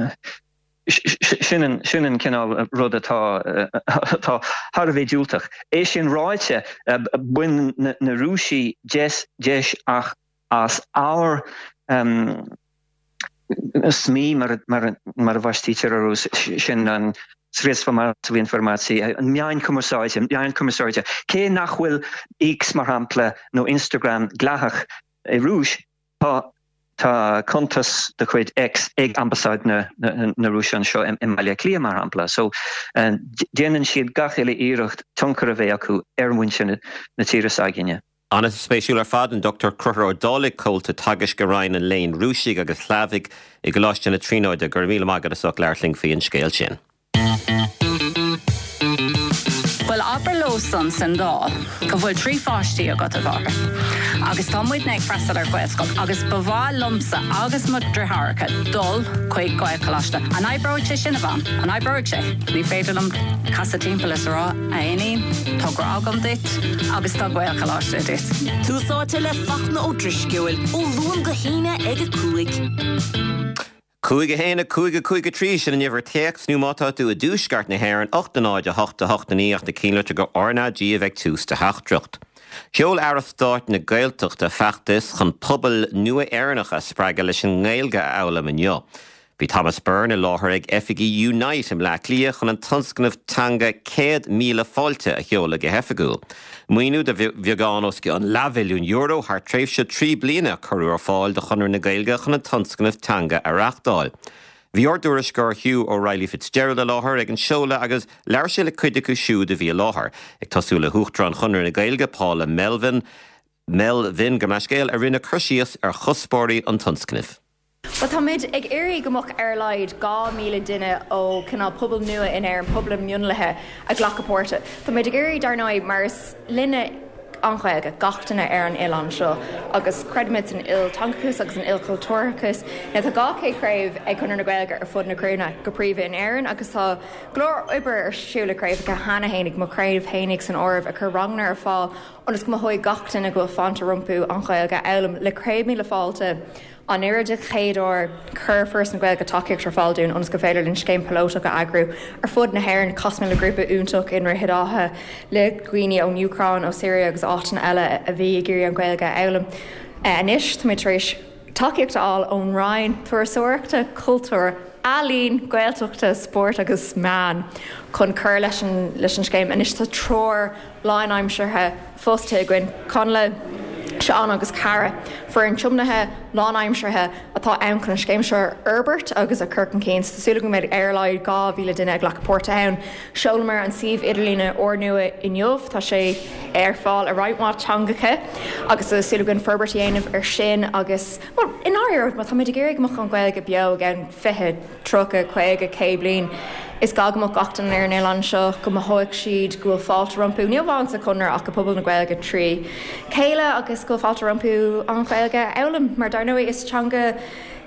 sin an, sin an cineál rud atá, atá thar a bheith diúltach. É sin ráite, baineann na Rúisigh deis, deis ach as ár SMI, mar a, mar a bhaistear orthu, sin an Sredstva Massovoi Informatsii, an meáin chumarsáide, meáin chumarsáide, cé nach bhfuil X, mar shampla, nó Instagram dleathach i Rúis, tá tá cuntas de chuid X ag Ambasáid na na Rúise anseo i mBaile Átha Cliath, mar shampla. So, déanann siad gach uile iarracht tionchar a bheith acu ar mhuintir na tíre s'againne. An-spéisiúil ar fad, an Dr Conchúr Ó Dálaigh, Comhalta Teagaisc i Roinn an Léinn Rúisigh agus Shlavaigh i gColáiste na Tríonóide. Go raibh míle maith agat as ucht labhairt linn faoi an scéal sin. Bhuel, abair leo san san Dáil go bhfuil 3 pháistí agat, a mháthair, agus tá muidne ag freastal ar Ghaelscoil agus ba mhaith liomsa agus mo dhriotháireacha dul chuig Gaelcholáiste. An oibreoidh sé sin, a Mham? An oibreoidh sé? Ní féidir liom casadh timpeall is a rá, a iníon, tá grá agam duit agus tá Gaelcholáiste duit. Tús Áite le Fachtna Ó Drisceoil, ó Luan go hAoine ag 5. 5 1 5 5 3, sin an uimhir téacs, nó má tá tú i dtuaisceart na hÉireann, 8 0 8 8 9 ach na cinnlitir go RnaG a bheidh tús do theachtaireacht. Sheol Aire Stáit na Gaeltachta feachtas chun pobail nua Éireannacha a spreagadh leis an nGaeilge a fhoghlaim inniu. Bhí Thomas Byrne i láthair ag oifigí Unite i mBleá Cliath chun an tionscnamh teanga 100,000 Fáilte a sheoladh go hoifigiúil. Maoiniú de bheagán os cionn leathmhilliún euro thar tréimhse 3 bliana a cuireadh ar fáil do Chonradh na Gaeilge chun an tionscnamh teanga a reáchtáil. Bhí ár dtuairisceoir Hugh O'Reilly Fitzgerald i láthair ag an seoladh agus labhair sé le cuid acu siúd a bhí i láthair, ag tosú le hUachtarán Chonradh na Gaeilge, Paula Melvin, Melvin, gabh mo leithscéal, a rinne cur síos ar chuspóirí an tionscnaimh. Bhuel, táimid ag iarraidh go mbeadh ar a laghad 2,000 duine ó cineál pobail nua in Éirinn, pobail mionlaithe, ag glacadh páirte. Táimid ag iarraidh, dar ndóigh, mar is linne an Ghaeilge, gach duine ar an oileán seo, agus creidimid san ilteangachas agus san ilchultúrachas. Now, tá 200 craobh ag Conradh na Gaeilge ar fud na cruinne, go príomha in Éirinn, agus tá go leor oibre ar siúl ag craobhacha cheana fhéinig, mo chraobh fhéinig san áireamh, ag cur ranganna ar fáil ionas go mothóidh gach duine go bhfuil fáilte rompu an Ghaeilge a fhoghlaim. Le 100,000 Fáilte. Anuraidh den chéad uair, chuir Foras na Gaeilge tacaíocht ar fáil dúinn ionas gur féidir linn scéim píolótach a eagrú ar fud na hÉireann. Chas mé le grúpa iontach i nDroichead Átha le dhaoine ón Úcráin, ó Syria agus áiteanna eile a bhí ag iarraidh an Ghaeilge a fhoghlaim. Anois, táimid tar éis tacaíocht a fháil ón Roinn Turasóireachta, Cultúir, Ealaíon, Gaeltachta, Spóirt agus Meán chun cur leis an leis an scéim. Anois tá triúr lánaimseartha fostaithe againn, Connla, Seán agus Cara, foireann tiomnaithe lánaimseartha atá ann chun an scéim seo a fhorbairt agus a chur chun cinn. Tá súil againn go mbeidh ar a laghad 2,000 duine ag glacadh páirte ann. Sheolamar an suíomh idirlíne úrnua inniu, tá sé ar fáil i roinnt mhaith teangacha agus tá súil againn forbairt a dhéanamh ar sin agus, bhuel, i ndáiríre, má táimid ag iarraidh go mbeadh an Ghaeilge beo i gceann 20, 30, 50, 100 bliain. Is gá go mbeadh gach duine ar an oileán seo, go mothóidh siad go bhfuil fáilte rompu, ní amháin sa Chonradh ach i bpobal na Gaeilge trí chéile agus go bhfuil fáilte rompu an Ghaeilge a fhoghlaim mar dar ndóigh is teanga.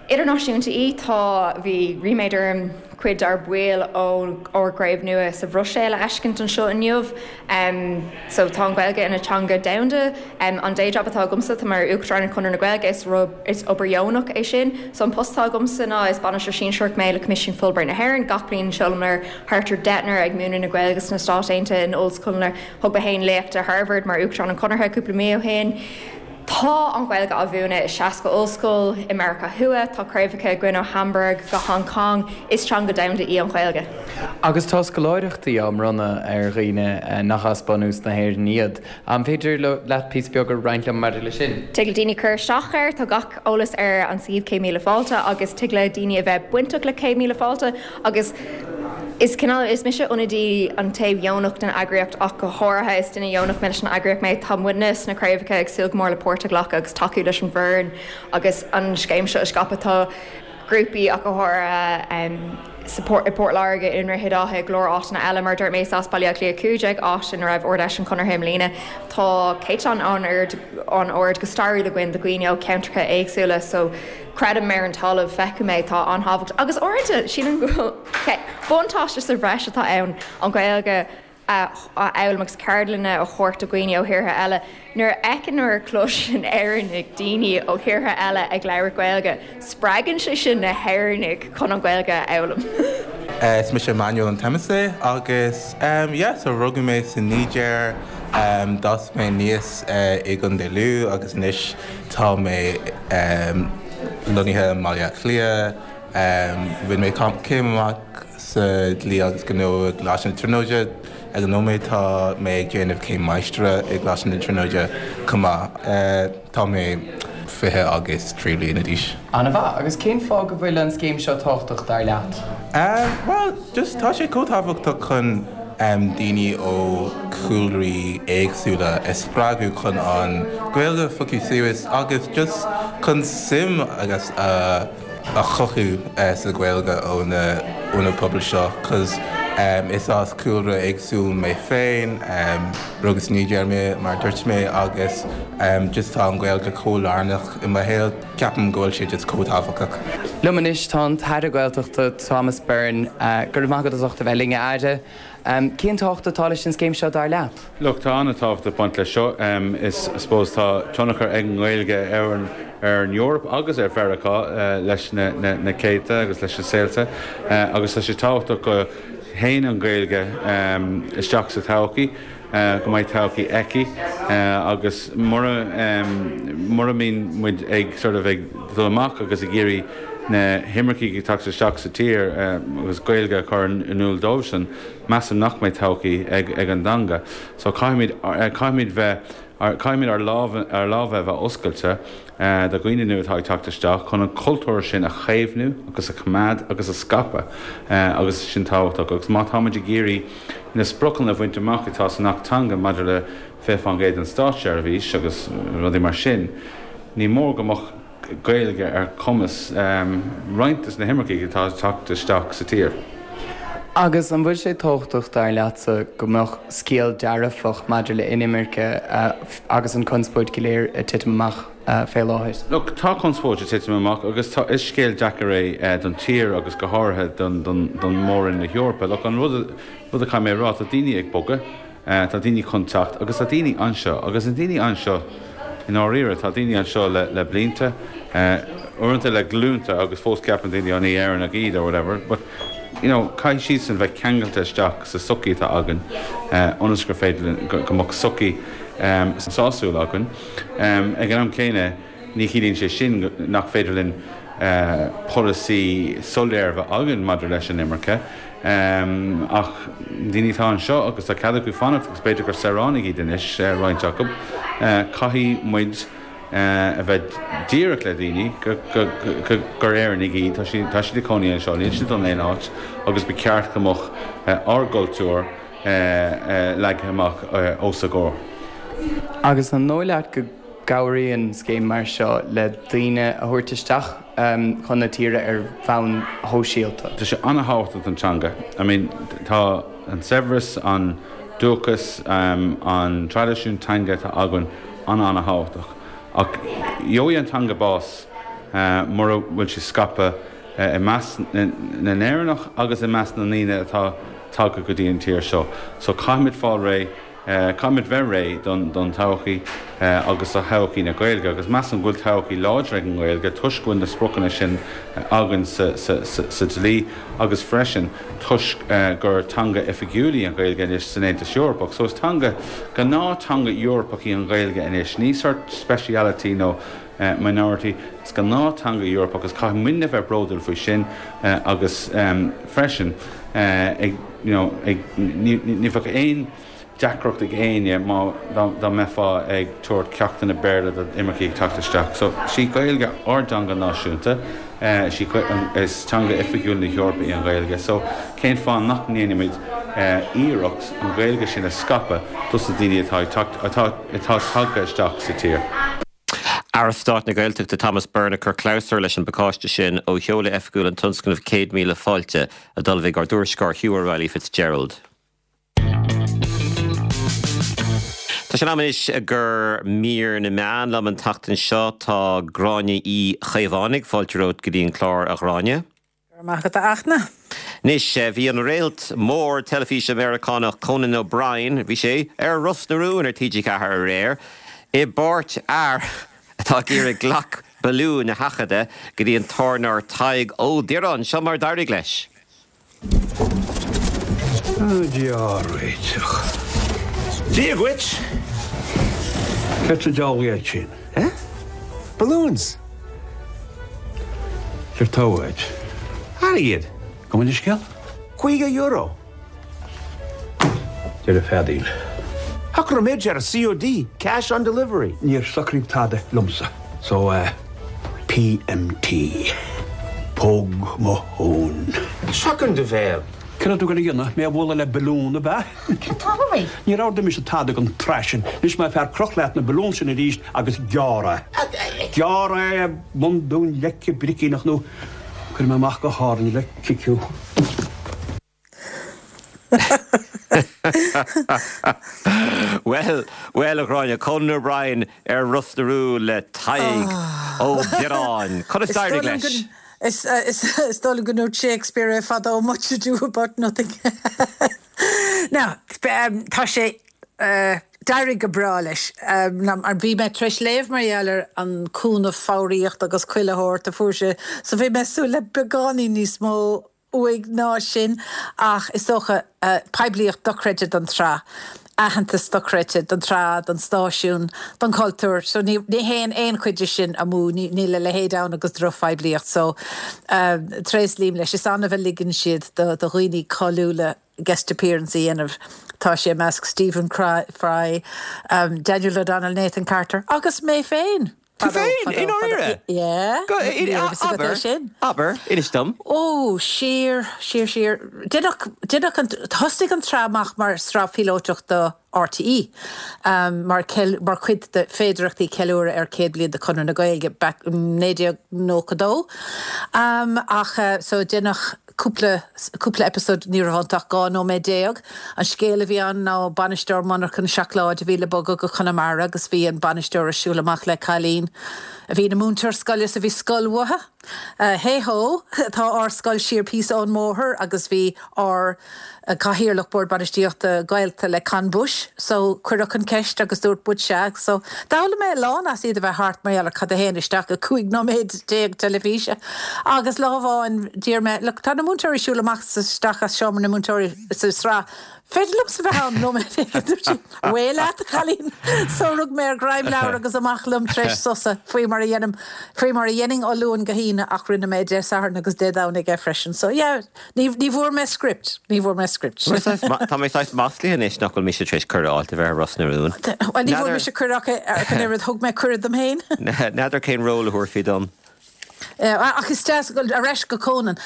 idirnáisiúnta í. Tá, bhí ríméad orm cuid dár baill ó ár gcraobh nua sa Bhruiséil a fheiscint anseo inniu. So tá an Ghaeilge ina teanga domhanda. An day job atá agamsa, tá mé mar Uachtarán ar Chonradh na Gaeilge, is is obair dheonach é sin. So an post atá agamsa ná is bainisteoir sinsearach mé le Coimisiún Fulbright na hÉireann. Gach bliain seolamar thart ar deichniúr ag múineadh na Gaeilge sna Stáit Aontaithe in ollscoileanna. Thug mé féin léacht i Harvard mar Uachtarán an Chonartha cúpla mí ó shin. Tá an Ghaeilge á mhúineadh i 60 ollscoil i Meiriceá Thuaidh, tá craobhacha againn ó Hamburg go Hong Kong. Is teanga domhanda í an Ghaeilge. Agus tá scoláireachtaí á mbronnadh ar dhaoine nach as bunús na hÉireann iad. An féidir leat píosa beag a roinnt liom maidir leis sin? Tig le daoine cur isteach air, tá gach eolas ar an suíomh 100,000 Fáilte agus tig le daoine a bheith bainteach le 100,000 Fáilte agus is cineál, is mise ionadaí an taobh dheonach den eagraíocht ach go háirithe, is duine dheonach mé leis an eagraíocht mé, tá muidne sna craobhacha ag súil go mór le páirt a ghlacadh agus tacú leis an bhfoireann agus an scéim seo a scaipeadh. Tá grúpaí ach go háirithe sa i bPort Láirge, i nDroichead Átha, i go leor áiteanna eile. Mar a dúirt mé, is as Baile Átha Cliath 15, áit ina raibh Ard-Fheis an Chonartha i mbliana. Tá céatadán an-ard an-ard go stairiúil againn de dhaoine ó cheantracha éagsúla so Creidim ar an talamh, feicim é, tá an-tábhacht agus uaireanta sílim go bhfuil buntáiste sa bhreis atá ann an Ghaeilge a fhoghlaim agus ceardlanna a thabhairt do dhaoine ó thíortha eile. Nuair a fheiceann nuair a chloiseann Éireannaigh daoine ó thíortha eile ag labhairt Gaeilge, spreagann sé sin na hÉireannaigh chun an Ghaeilge a fhoghlaim. Is mise Emmanuel Antemise agus yeah so rugadh mé sa Nigéir, d'fhás mé aníos i gContae Lú agus anois Tá mé lonnaithe i mBaile Átha Cliath. Bhain mé céim amach sa Dlí agus Gnó i gColáiste na Tríonóide. Ag an nóiméad tá mé ag déanamh céim máistre i gColáiste na Tríonóide chomh maith. Tá mé 20 agus 3 bliana d'aois. An-mhaith. Agus cén fáth go bhfuil an scéim seo tábhachtach dar leat? Bhuel, just tá sé chomh tábhachtach chun daoine ó chúlraí éagsúla a spreagadh chun an Ghaeilge a phiocadh suas agus just chun suim agus a chothú sa Ghaeilge ó na ó na pobail seo cos is as cúlra éagsúil mé féin, rugadh sa Nigéir mé mar a dúirt mé agus just tá an Ghaeilge chomh lárnach i mo shaol. Ceapaim go bhfuil sé just chomh tábhachtach. Liom anois tá an tAire Gaeltachta Thomas Byrne. Go raibh maith agat as ucht a bheith linn, a Aire. Cén tábhacht atá leis an scéim seo dar leat? Look, tá an-tábhacht ag baint leis seo. Is, I suppose, tá tionchar ag an nGaeilge ar an ar an Eoraip agus ar Mheiriceá leis na na céadta agus leis na saolta agus tá sé tábhachtach go théann an Ghaeilge isteach sa todhchaí. go mbeidh todhchaí aici agus mura mura mbíonn muid ag sort of ag dul amach agus ag iarraidh na himircigh ag teacht isteach sa tír agus Gaeilge a chur in iúl dóibhsean, measaim nach mbeidh todhchaí ag ag an dteanga. So caithfimid caithfimid bheith caithfimid ár lámha ár lámha a bheith oscailte do dhaoine nua atá ag teacht isteach chun an cultúr sin a chaomhnú agus a choimeád agus a scaipeadh agus sin tábhachtach agus má táimid ag iarraidh na spriocanna a bhaint amach atá san Acht Teanga maidir le 20% den státseirbhís agus rudaí mar sin, ní mór go mbeadh Gaeilge ar chumas roinnt de na himircigh atá ag teacht isteach sa tír. Agus an bhfuil sé tábhachtach, dar leatsa, go mbeadh scéal dearfach maidir le inimirce agus an conspóid go léir ag titim amach fé láthair? Look, tá conspóid ag titim amach agus tá, is scéal deacair é don tír agus go háirithe don, don, don Mór-Roinn na hEorpa. Look, an rud, rud a caithfidh mé a rá, tá daoine ag bogadh, Tá daoine chun teacht agus tá daoine anseo agus na daoine anseo i ndáiríre, tá daoine anseo le le blianta, uaireanta le glúnta agus fós ceapann daoine oh ní Éireannach iad or whatever but you know caithfidh siadsan bheith ceangailte isteach sa sochaí atá againn ionas gur féidir linn go mbeadh sochaí sásúil againn. Ag an am céanna ní chiallaíonn sé sin nach féidir linn polasaí soiléir a bheith againn maidir leis an imirce. Ach daoine atá anseo agus tá cead acu fanacht agus b'fhéidir gur saoránaigh iad anois, roinnt acu, caithfidh muid a bheith díreach le daoine gur Éireannaigh iad, tá siad tá siad ag cónaí anseo, níl siad dul aon áit agus ba cheart go mbeadh ár gcultúr leagtha amach os a gcomhair. Agus an dóigh leat go gcabhraíonn scéim mar seo le daoine a thabhairt isteach chun na tíre ar bhonn shóisialta. Tá sé an-thábhachtach don teanga. I mean, tá an saibhreas, an dúchas, an traidisiún teanga atá againn an-an-thábhachtach. Ach gheobhaidh an teanga bás. Mura bhfuil sé scaipthe i measc na nÉireannach agus i measc na ndaoine atá tagtha go dtí an tír seo. So caithfimid fáil réidh, caithfimid bheith réidh don todhchaí agus do thodhchaí na Gaeilge agus measaim go bhfuil todhchaí láidir ag an nGaeilge toisc go bhfuil na spriocanna sin againn sa dlí agus freisin toisc gur teanga oifigiúil í an Ghaeilge anois san Aontas Eorpach. So is teanga, gnáth-teanga Eorpach í an Ghaeilge anois, ní sort speciality nó minority. Is gnáth-teanga Eorpach agus caithfidh muidne bheith bródúil faoi sin agus freisin ag you know ag ní ní bheadh aon deacracht ag éinne má dá mbeifeá ag tabhairt ceachtanna Béarla do imircigh ag teacht isteach. So is í Gaeilge ár dteanga náisiúnta, is í is teanga oifigiúil na hEorpa í an Ghaeilge so cén fáth nach ndéanfaimid iarracht an Ghaeilge sin a scaipeadh dos na daoine atá ag teacht atá atá tagtha isteach sa tír. Aire Stáit na Gaeltachta Thomas Byrne ag cur clabhsúr leis an bpacáiste sin ó sheoladh oifigiúil an tionscnaimh 100,000 Fáilte a d'ullmhaigh ár dtuairisceoir Hugh O'Reilly Fitzgerald. Tá sé in am anois gur mír na meán liom an tseachtain seo. Tá Gráinne Uí Chaomhánaigh. Fáilte romhat go dtí an clár, a Ghráinne. Go raibh maith agat, a Fhachtna. Anois, bhí an réalt mór teilifíse Meiriceánach Conan O'Brien, bhí sé ar Ros na Rún ar TG4 aréir, i bpáirt fhear atá ag iarraidh glac balúin a sheachadadh go dtí an tábhairneoir Tadhg Ó Direáin. Seo mar a d'éirigh leis. Dia ár réiteach. Dia dhuit! Céard sa diabhal iad sin? Eh? Balloons! Céard tá uait? Airgead! Gabh mo leithscéal? €50. Deireadh feadaíl. Shocraigh muid ar COD, cash on delivery. Níor socraíodh tada liomsa, so eh PMT. Póg mo thóin. Seachain do bhéal. Céard atá tú ag goil a dhéanamh, mé a bhualadh le balún, ab ea? Céard tá uait? Níor ordaigh mise tada den tsraith sin. Anois más fearr croch leat na balúin sin arís agus gearr é. Gearr é i mbun Dún Leice bricíneach nó cuirfidh mé amach go hÁrainn le cic thú. Bhuel, bhuel, a Ghráinne, Conan O'Brien ar Ros na Rún le Tadhg Ó Direáin. Conas d'éirigh leis? Is dóigh liom go ndúirt Shakespeare é fadó, much ado about nothing. Now, tá sé, d'éirigh go breá leis. Mar bhí mé tar éis léamh mar gheall ar an cúnamh foghraíochta agus chuile shórt a fuair sé, so bhí mé ag súil le beagáinín níos mó uaidh ná sin ach is dócha poiblíocht dochreidte don tsraith, aitheantas dochreidte don tsraith, don stáisiún, don chultúr so ní théann aon chuid de sin amú, níl a leithéid ann agus drochphoiblíocht so tréaslaím leis. Is annamh a ligeann siad do dhaoine cáiliúla guest appearance a dhéanamh. Tá sé i measc Stephen Fry, Daniel O'Donnell, Nathan Carter agus mé féin! Tú féin? I ndáiríre? Yeah. Go, abair, abair, inis dom. Ó, siar, siar, siar. Deineadh, deineadh an, thosaigh an tsraith amach mar sraith phíolótach do RTÉ, mar, mar chuid de féidearthachtaí ceiliúradh ar 100 bliain de Chonradh na Gaeilge back in 1992. Ach, so deineadh cúpla, cúpla episode, ní raibh iontu ach 12 nóiméad. An scéal a bhí ann ná bainisteoir monarchan seacláide a bhí le bogadh go Conamara agus bhí an bainisteoir ag siúl amach le cailín a bhí ina múinteoir scoile so bhí scoil uathu. Hey ho, tá ár scoil siar píosa ón mbóthar agus bhí ár gcathaoirleach Bord Bainistíochta gaolta le Con Bush so cuireadh an ceist agus dúirt muid sea so d'fhoghlaim mé a lán as iad a bheith thart mar gheall ar cad a théann isteach i 15 nóiméad teilifíse agus lá amháin d'iarr mé look tá na múinteoirí ag siúl amach is isteach as seomra na múinteoirí sa sraith féidir liomsa bheith ann nóiméad éigin dúirt sí away leat a chailín so rug mé ar ghreim leabhar agus amach liom tar éis sosa faoi mar a dhéanaim faoi mar a dhéanfainn ó Luan go hAoine ach rinne mé Dé Sathairn agus Dé Domhnaigh é freisin so yeah Ní bhfuair mé script. Ní bhfuair mé script. Tá mé saghas maslaithe anois nach bhfuil mise tar éis cuireadh a fháilt a bheith ar Ros na Rún. Bhuel, ní bhfuair mise cuireadh ach an oiread. Thug mé cuireadh dom féin. N'fheadar cén ról a thabharfaí dom. Ach is deas dul ar ais go Conan.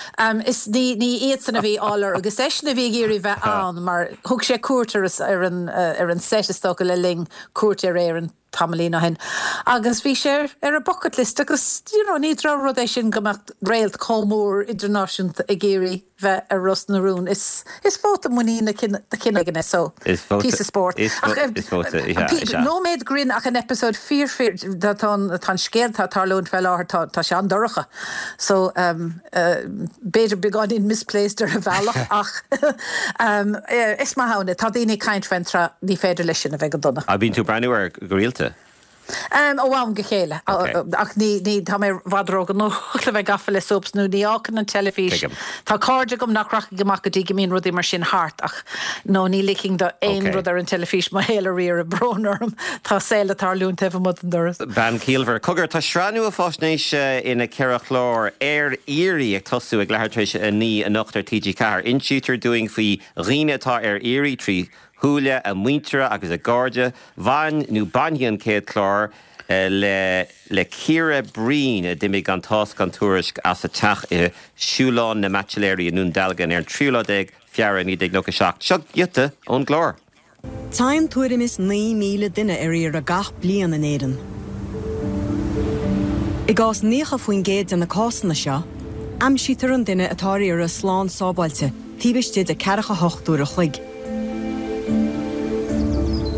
Is ní iadsan a bhí á lorg. Is eisean a bhí ag iarraidh bheith ann mar thug sé cuairt ar an ar an set is dócha le linn cuairt ar Éirinn. tamaillín ó shin agus bhí sé ar a bucket list agus you know ní drochrud é sin go mbeadh réalt chomh mór idirnáisiúnta ag iarraidh bheith ar Ros na Rún. Is is vóta muiníne de chineál éigin é so Is vóta píosa spóirt. is Ach is vóta is ea is ea. nóiméad grinn ach an eipeasóid fíor fíor tá tá an tá an scéal atá ag tarlúint fé láthair tá tá sé an-dorcha so b'fhéidir beagáinín misplaced ar a bhealach ach is maith ann é. Tá daoine ag caint faoin tsraith, ní féidir leis sin a bheith go dona. Ah, bíonn tú ag breathnú air go rialta? Ó am go chéile. Ach ní, ní, tá mé i bhfad róghnóthach le bheith gafa le soaps nó ní fhágfainn an teilifís. Tuigim. Tá cairde agam nach rachaidh amach go dtí go mbíonn rudaí mar sin thart ach no, ní ligfinn do aon rud ar an teilifís mo shaol a riaradh, brón orm. Tá saol ag tarlúint taobh amuigh den doras. Bean chiallmhar. Cogar, tá sraith nua faisnéise ina ceithre chlár, Ar Iarraidh, ag tosú ag leathuair tar éis a 9 anocht ar TG4. Insítear dúinn faoi dhaoine atá ar iarraidh trí shúile a muintire agus a gcairde. Bhain nó bainfidh an chéad chlár le le Ciara Breen a d'imigh gan tásc gan tuairisc as a teach i Siúlán na mBaitsiléirí i nDún Dealgan ar an tríú lá déag Feabhra 1997. Seo giota ón gclár. Téann tuairim is 9,000 duine ar iarraidh gach bliain in Éirinn. I gcás 90% de na cásanna seo, aimsítear an duine atá ar iarraidh slán sábháilte taobh istigh de 48 uair a chloig.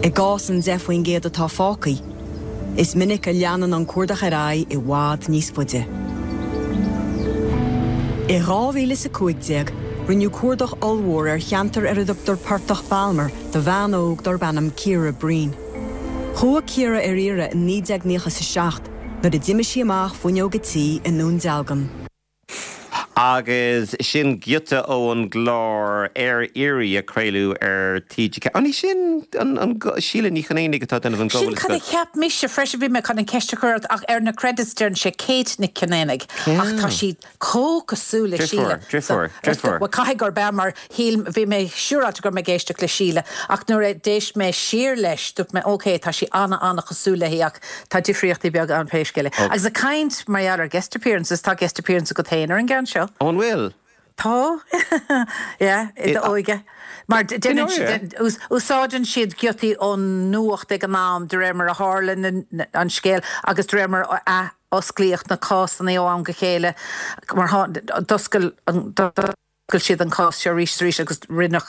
I gcás an 10% atá fágtha, is minic a leanann an cuardach ar aghaidh i bhfad níos faide. I 2015, rinneadh cuardach ollmhór ar cheantar ar a dtugtar Portach Balmer do bhean óg darb ainm Ciara Breen. Chuaigh Ciara ar iarraidh i 1997 nuair a d'imigh sí amach fuinneog a tí i nDún Dealgan. Agus sin giota ón gclár Ar Iarraidh a craoladh ar TG4. An í sin an Síle Ní Chonaonaigh atá ag déanamh an Sin cad a cheap mise freisin, bhí mé chun an ceist a chur ort ach ar na credits deireann sé Kate Nic Cionnaonaigh ach tá sí chomh cosúil le Síle. Deirfiúr, deirfiúr, deirfiúr. Bhuel caithfidh gurb ea mar shíl, bhí mé siúráilte go raibh mé ag éisteacht le Síle ach nuair a d'éist mé siar leis dúirt mé ok tá sí ana-ana-chosúil léi ach Tá difríochtaí beaga ann pé scéal é. Agus ag caint mar gheall ar guest appearances, tá guest appearance agat féin ar an gceann seo. Ó an bhfuil? Tá. Yeah, i d'óige. Mar déanann siad, úsáideann siad giotaí ón nuacht ag an am de réir mar a tharla an scéal agus de réir mar a ath-osclaíodh na cásanna ó am go chéile. Mar d'oscail an. D'oscail siad an cás seo arís is arís agus rinneadh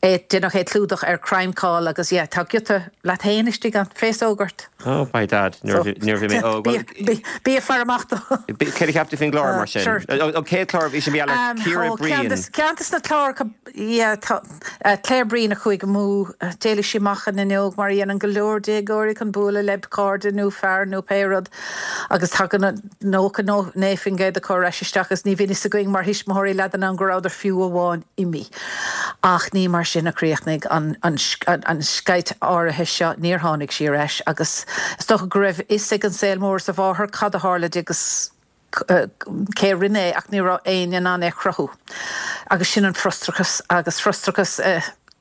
é, deineadh é clúdach ar Crimecall agus yeah, tá giota leat féin istigh ann, féasóg ort. Oh, by dad, nuair a bhí, nuair a bhí mé óg, bhuel. Bí, bí ag faire amach dó. Céard a cheap tú faoin gclár mar sin? Sure. An chéad chlár, bhí sé mar gheall ar Ciara Ó, ceann Breen. de, ceann de na cláracha, yeah, tá, Claire Breen a chuaigh amú, d'éalaigh sí amach an fhuinneog mar a dhéanann go leor déagóirí chun bualadh le cairde nó fear nó pé rud agus tagann 99% acu ar ais isteach agus ní bhíonn fhios againn mar thuismitheoirí leath den am go rabhadar fiú amháin imithe. Ach ní mar sin a chríochnaigh an an sceit áirithe seo, níor tháinig sí ar ais agus is dócha go raibh fhios ag an saol mór is a mháthair cad a tharla di agus cé a rinne é ach ní raibh éinne in ann é a chruthú. Agus sin an frustrachas agus frustrachas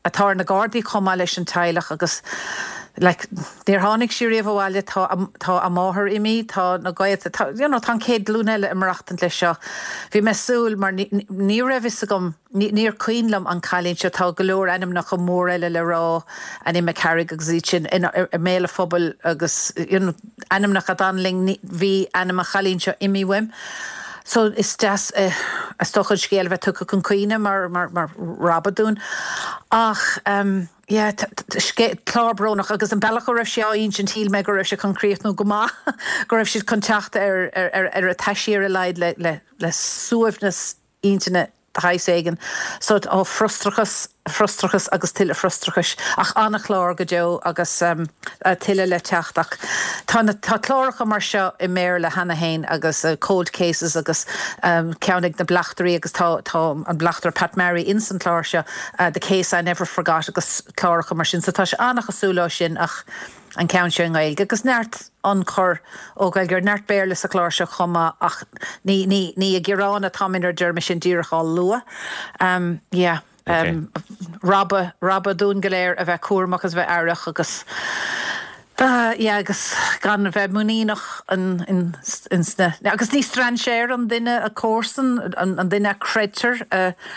atá ar na Gardaí chomh maith leis an teaghlach agus like níor tháinig sí riamh abhaile, tá tá a máthair imithe, tá na gaolta, tá you know tá an chéad ghlúin eile ag maireachtaint leis seo. Bhí mé ag súil mar ní ní raibh fhios agam, ní níor cuimhin liom an cailín seo, tá go leor ainmneacha mór eile le rá, Annie McCarrick agus iad sin in i mbéal an phobail agus you know ainmneacha a d'fhan linn, ní bhí ainm an chailín seo imithe uaim. So is deas is dócha an scéal a bheith tugtha chun cuimhne mar mar mar rabhadh dúinn. Ach yeah clár brónach agus an bealach a raibh sé á insint shíl mé go raibh sé chun críochnú go maith, go raibh siad chun teacht ar ar ar a taisí ar a laghad le le le suaimhneas intinne de shaghas éigin. So, ó, frustrachas, frustrachas agus tuilleadh frustrachais. Ach an-chlár go deo agus tuilleadh le teacht. Ach tá na, tá cláracha mar seo i mBéarla cheana féin agus Cold Cases agus ceann ag na bleachtairí agus tá, tá an bleachtaire Pat Murray ins an chlár seo, The Case I Never Forgot agus cláracha mar sin. So tá sé an-chosúil leo sin ach an ceann seo i nGaeilge agus neart ionchur ó Ghaeilgeoirí, neart Béarla sa chlár seo chomh maith ach ní, ní, ní ag gearán atá mé nuair a deirim é sin, díreach á lua. Yeah. Rabhadh, rabhadh dúinn go léir a bheith cúramach agus a bheith aireach agus. Yeah agus gan a bheith muiníneach ins na, agus ní strainséir an duine a comharsan, an duine a creidtear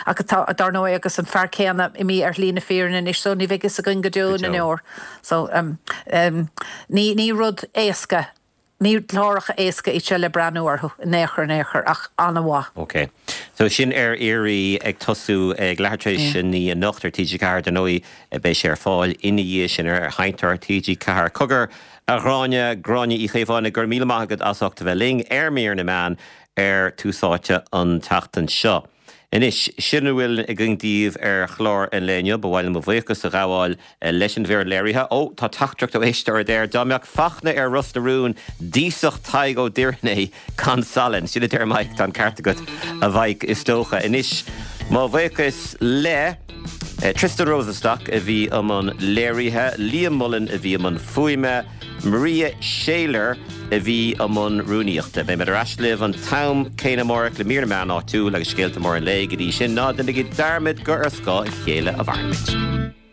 ach atá, dar ndóigh, agus an fear céanna imithe ar shlí na fírinne anois so ní bheidh fhios againn go deo na ndeor. So ní, ní rud éasca Ní cláracha éasca iad seo le breathnú orthu in aon chor in aon chor, ach an-mhaith. Ok. So sin Ar Iarraidh ag tosú ag leathuair tar éis a 9 anocht ar TG4. Dar ndóigh beidh sé ar fáil ina dhiaidh sin ar sheinnteoir TG4. Cogar, a Ghráinne, Gráinne Uí Chaomháin, go raibh míle maith agat as ucht a bheith linn ar Mír na Meán ar Tús Áite an tseachtain seo. Anois, sin a bhfuil againn daoibh ar chlár an lae inniu. Ba mhaith liom mo bhuíochas a ghabháil leis an bhfoireann léirithe. Ó, tá teachtaireacht ó éisteoir a deir, dá mbeadh Fachtna ar Ros na Rún, d'íosfadh Tadhg Ó Doireann é gan salann. Sin a deir Mike. Tá an ceart agat, a Mhaidhc, is dócha. Anois, mo bhuíochas le Tristan Rosenstock a bhí i mbun léirithe, Liam Mullen a bhí i mbun fuaime, Maria Shayler a bhí i mbun rúnaíochta. Beidh muid ar ais libh an t-am céanna amárach le mír na meán áitiúil agus scéalta móra an lae. Go dtí sin, ná déanaigí dearmad gur ar scáth a chéile a mhairimid.